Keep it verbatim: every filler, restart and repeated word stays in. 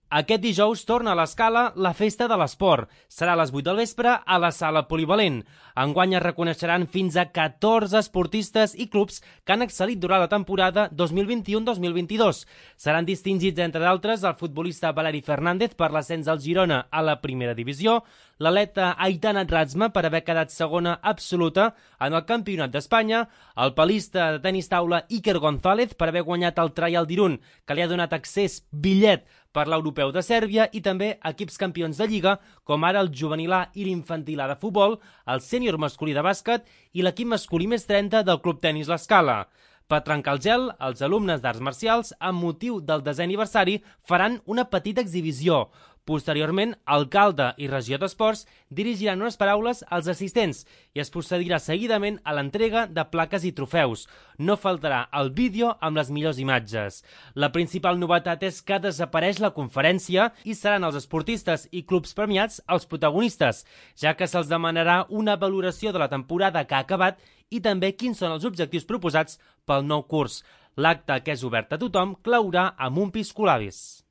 Aquest dijous torna a l'Escala la Festa de l'Esport. Serà a les vuit del vespre a la Sala Polivalent. Enguany es reconeixeran fins a catorze esportistes i clubs que han excel·lit durant la temporada dos mil vint-i-u dos mil vint-i-dos. Seran distingits, entre d'altres, el futbolista Valeri Fernández per l'ascens del Girona a la primera divisió, l'atleta Aitana Razma per haver quedat segona absoluta en el Campionat d'Espanya, el palista de tenis taula Iker González per haver guanyat el Trial d'Irun, que li ha donat accés bitllet per l'Europeu de Sèrbia, i també equips campions de Lliga, com ara el juvenil A i l'infantil A de futbol, el sènior masculí de bàsquet i l'equip masculí més trenta del Club Tenis L'Escala. Per trencar el gel, els alumnes d'arts marcials, amb motiu del desè aniversari, faran una petita exhibició. Posteriorment, alcalde i regió d'esports dirigiran unes paraules als assistents i es procedirà seguidament a l'entrega de plaques i trofeus. No faltarà el vídeo amb les millors imatges. La principal novetat és que desapareix la conferència i seran els esportistes i clubs premiats els protagonistes, ja que se'ls demanarà una valoració de la temporada que ha acabat i també quins són els objectius proposats pel nou curs. L'acte, que és obert a tothom, claurà amb un piscolabis.